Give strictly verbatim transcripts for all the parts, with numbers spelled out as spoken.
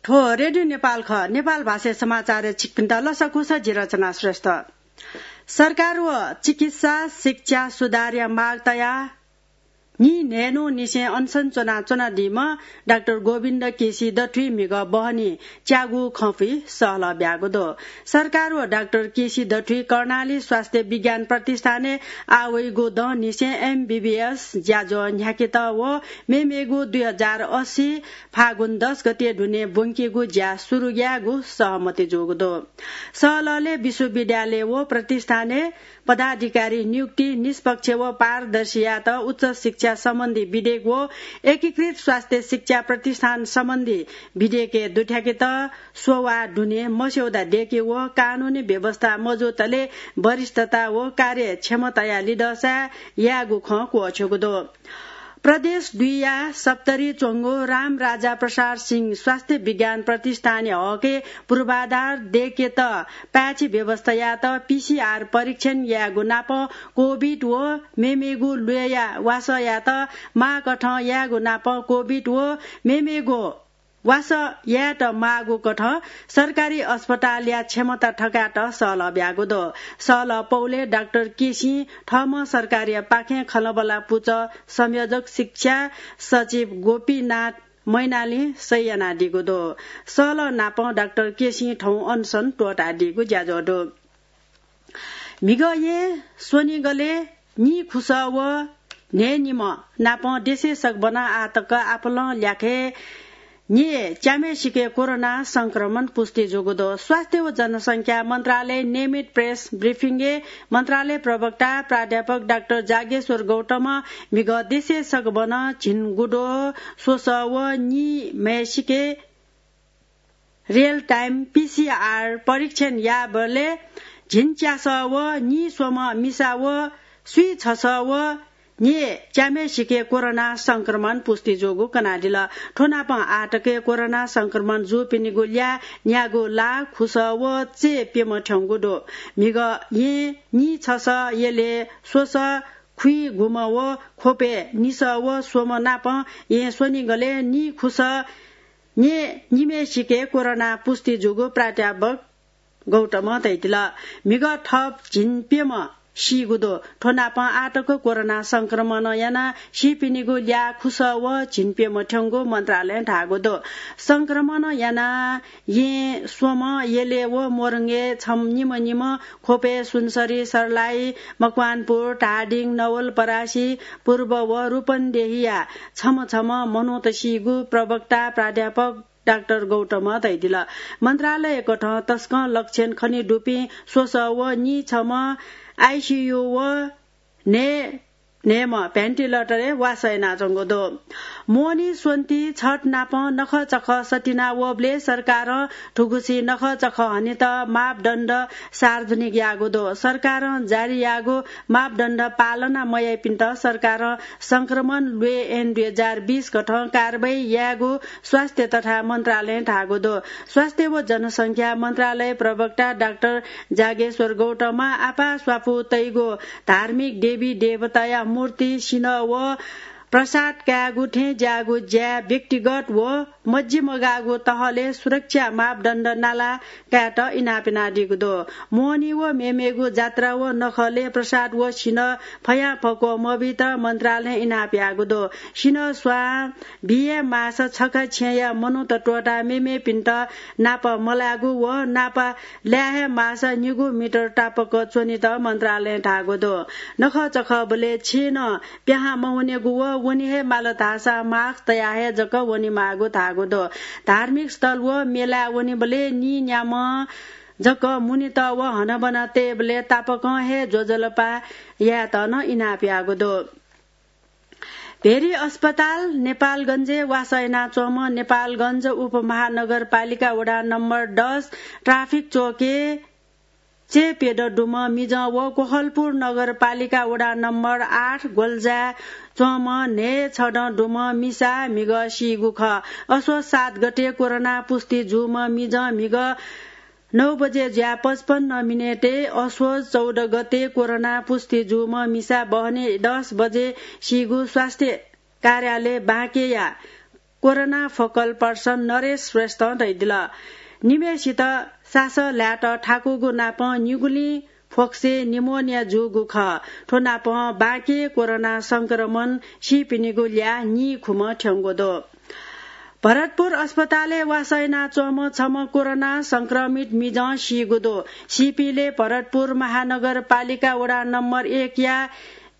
थ्व रेडियो नेपाल खः। नेपाल भाषाया समाचारय् छिकपिन्त लसकुस, जि रचना श्रेष्ठ। सरकार व चिकित्सा शिक्षा सुधारया माग तयाः नीन्हय्‌न्हु निसें अनसन च्वनाच्वनादीम्ह डाक्टर गोविन्द केसी दथुइ म्हिगः बहनी च्यागू खँपुइ सहलह ब्यागु दु। सरकार व डाक्टर केसी दथुइ कर्णाली स्वास्थ्य विज्ञान प्रतिष्ठानय् आः वइगु दँ निसें एमबीबीएस ज्याझ्वः न्ह्याकेत व मेमेगु दुई हजार अस्सी फागुन दस गते दुने ब्वंकेगु ज्या सुरु यायेगु सहमति जूगु दु। सहलहलय् विश्वविद्यालय व प्रतिष्ठानय् पदाधिकारी नियुक्ति निष्पक्ष व पारदर्शी यायेत उच्च शिक्षा सम्बन्धी विधेयक व एकीकृत स्वास्थ्य शिक्षा प्रतिष्ठान सम्बन्धी विधेयकय् दुथ्याकेत स्ववाः दुने मस्यौदा दय्‌के व कानूनी व्यवस्था मजूतले वरिष्ठता व कार्यक्षमताया लिधःसा यायेगु खँ क्वःछ्यूगु दु। प्रदेश दुईया सप्तरी च्वंगु रामराजा प्रसाद सिंह स्वास्थ्य विज्ञान प्रतिष्ठानया हकय् पूर्वाधार दय्‌केत पाय्‌छि व्यवस्था यायेत पीसीआर परीक्षण यायेगु नाप कोभिड व मेमेगु ल्वय्‌या वासः यायेत माःकथं यायेगु नाप कोभिड व मेमेगु वासः यायेत माःगु कथं सरकारी अस्पतालया क्षमता थकायेत सहलह ब्यागु दु। सहलह पौलय् डाक्टर केसीं थःम्हं सरकारया पाखें खँल्हाबल्हा पुचः संयोजक शिक्षा सचिव गोपीनाथ मैनालीं सही यानादीगु दु। सहलह नापं डाक्टर केसीं थौं अनसन त्वःतादीगु ज्याझ्वः दु। म्हिगः येँ स्वनिगलय् नीखुसः व न्हय्‌निम्ह नापं देशय् सकभनं आः तक आपालं ल्याखय् न्यय् च्याम्हय्‌सिके कोरोना संक्रमण पुष्टि जूगु दु। स्वास्थ्य व जनसंख्या मन्त्रालय नियमित प्रेस ब्रिफिङय् मन्त्रालय प्रवक्ता प्राध्यापक डाक्टर जागेश्वर गौतमं म्हिगः देशय् सकभनं झिंगुद्वः स्वसः व नीम्हय्‌सिके रियल टाइम पीसीआर परीक्षण याःबलय् झिंच्यासः व नीस्वम्ह मिसा व स्वीछसः व न्यय् च्याम्हय्‌सिके कोरोना संक्रमण पुष्टि जूगु कनादिल। थ्व नापं आःतकय् कोरोना संक्रमण जूपिनिगु ल्याः न्यागू लाख खुसः व चय् प्यम्ह थ्यंगु दु। म्हिगः येँ नीछसः, यलय् स्वसः, खुइगुम्ह व ख्वपय् निसः व स्वम्ह नापं येँ स्वनिगलय् नीखुसः न्यय् निम्हय्‌सिके कोरोना पुष्टि जूगु प्राध्यापक गौतमं धयादिल। म्हिगः थप झिंप्यम्ह सीगु दु। थ्व नापं आःतक कोरोना संक्रमणं यानाः सीपिनिगु ल्याः खुसः व झिंप्यम्ह थ्यंगु मन्त्रालयं धाःगु दु। संक्रमणं यानाः येँ स्वम्ह, यलय् व मोरङय् छम्ह निम्ह निम्ह, ख्वपय् सुनसरी, सर्लाही, मकवानपुर, धादिङ, नवलपरासी, पूर्व व रूपन्देहीया छम्ह छम्ह मनूत सीगु प्रवक्ता प्राध्यापक डाक्टर गौतमं धयादिल। मन्त्रालयकथं तसकं लक्षण खनेदुपिं स्वसः व नीछम्ह आइसीयू व न्हय् न्हय्‌म्ह भेन्टिलेटरय् वासः यानाच्वंगु दु। मोहनी स्वन्ति छत नापं नखःचखः सतिना वःबलय् सरकारं थुगुसी नखःचखः हनेत मापदण्ड सार्वजनिक याःगु दु। सरकारं जारी याःगु मापदण्ड पालना मयाइपिन्त सरकारं संक्रमण ल्वय् ऐन दुई हजार बीस कथं कारवाही यायेगु स्वास्थ्य तथा मन्त्रालयं धाःगु दु। स्वास्थ्य व जनसंख्या मन्त्रालय प्रवक्ता डाक्टर जागेश्वर गौतमं आपाः स्वापू तइगु धार्मिक देवी देवताया मूर्ति, सिन्हः व प्रसाद कायेगु थें ज्याःगु ज्याय् व्यक्तिगत व मज्जि मगाःगु तहलय् सुरक्षा मापदण्ड नाला कायेत इनाप यानादीगु दु। मोहनी व मेमेगु जात्रा व नखलय् प्रसाद व सिन्हः फयां फक्व मबीत मन्त्रालयं इनाप याःगु दु। सिन्हः स्वां बिये माःसा छखा छेँया मनूत त्वःताः मेमेपिन्त नापा मलायेगु व नापा लाये हे माःसा निगू मिटर तापाक च्वनेत मन्त्रालयं धाःगु दु। नखःचखःबलय् छेँनं प्याहां मवनेगु व वने हे माल धाःसा मास्क तयाः हे जक वनेमाःगु धाःगु दु। धार्मिक स्थल व मेलाय् वनेबलय् नीन्याम्हं जक मुनेत व हनाबना तयेबलय् तापाकं हे ज्वजलपा यायेत नं इनाप याःगु दु। भेरी अस्पताल नेपालगञ्जय् वासः यानाच्वंम्ह नेपालगञ्ज उपमहानगरपालिका वडा नम्बर दस ट्राफिक चोकय् चय् प्यदँ दुम्ह मिजं व कोहलपुर नगरपालिका वडा नम्बर आठ ग्वल्जाय् च्वंम्ह न्हय् छदँ दुम्ह मिसा म्हिगः सीगु खः। असोज सात गते कोरोना पुष्टि जूम्ह मिजं म्हिगः नौ बजे जुयाः पचपन्न मिनेटय् असोज चौध गते कोरोना पुष्टि जूम्ह मिसा बहनी दस बजे सीगु स्वास्थ्य कार्यालय बाँकेया कोरोना फोकल पर्सन नरेश श्रेष्ठं धयादिल। निम्हेसित सासः ल्हायेत थाकूगु नापं निगुलिं फोक्से निमोनिया जूगु खः। थ्व नापं बांके कोरोना संक्रमण सीपिनिगु ल्याः नीखुम्ह थ्यंगु दु। भरतपुर अस्पतालय् वासः यानाच्वंम्ह छम्ह कोरोना संक्रमित मिजं सीगु दु। सीपिले भरतपुर महानगरपालिका वडा नम्बर एकया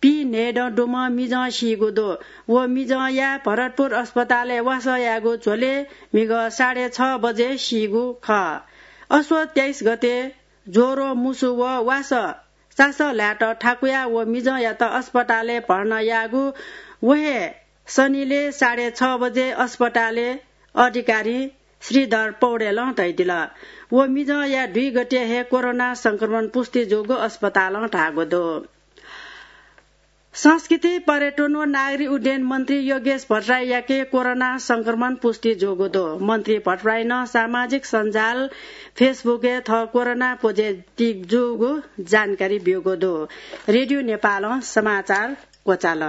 पी न्हय्दँ दुम्ह मिजं सीगु दु। व मिजंया भरतपुर अस्पतालय् वासः यायेगु झ्वलय् म्हिगः साढे छ बजे सीगु खः। असोज तेइस गते ज्वरो, मुसु व वासः सासः ल्हायेत थाकुयाः व मिजंयात अस्पतालय् भर्ना याःगु व हे शनिले साढे छ बजे अस्पतालय् अधिकारी श्रीधर पौडेलं धयादिल। व मिजंया दुई गते हे कोरोना संक्रमण पुष्टि जूगु अस्पतालं धाःगु दु। संस्कृति, पर्यटन व नागरिक उड्डयन मन्त्री योगेश भट्टराईयाके कोरोना संक्रमण पुष्टि जूगु दु। मन्त्री भट्टराईनं सामाजिक सञ्जाल Facebook-य् थः कोरोना पोजिटिभ जूगु जानकारी ब्यूगु दु। रेडियो नेपालं समाचार क्वचाल।